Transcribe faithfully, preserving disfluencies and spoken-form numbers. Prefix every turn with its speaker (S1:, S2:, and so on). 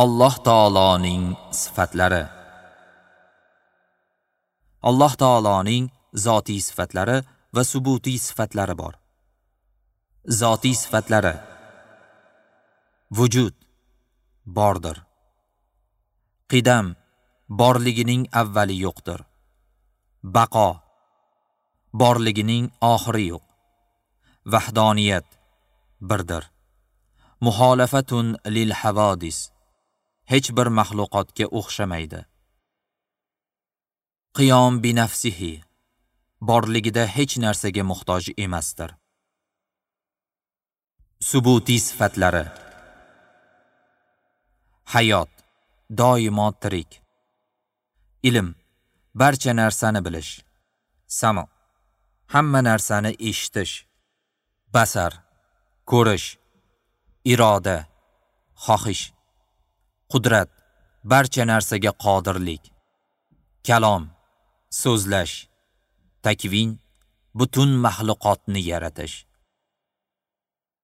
S1: Alloh taoloning sifatlari. Alloh taoloning zotiy sifatlari va subutiy sifatlari bor. Zotiy sifatlari: vujud, bordir. Qidam, borligining avvali yo'qdir. Baqo, borligining oxiri yo'q. Vahdoniyat, birdir. Muholafatun lil havadis, hech bir maxluqotga o'xshamaydi. Qiyom bi nafsihi, borligida hech narsaga muhtoj emasdir. Subutiy sifatlari: hayot, doimo tirik. Ilm, barcha narsani bilish. Samo, hamma narsani eshitish. Basar, ko'rish. Iroda, xohish. Qudrat, barcha narsaga qodirlik. Kalom, so'zlash. Takvin, butun maxluqotni yaratish.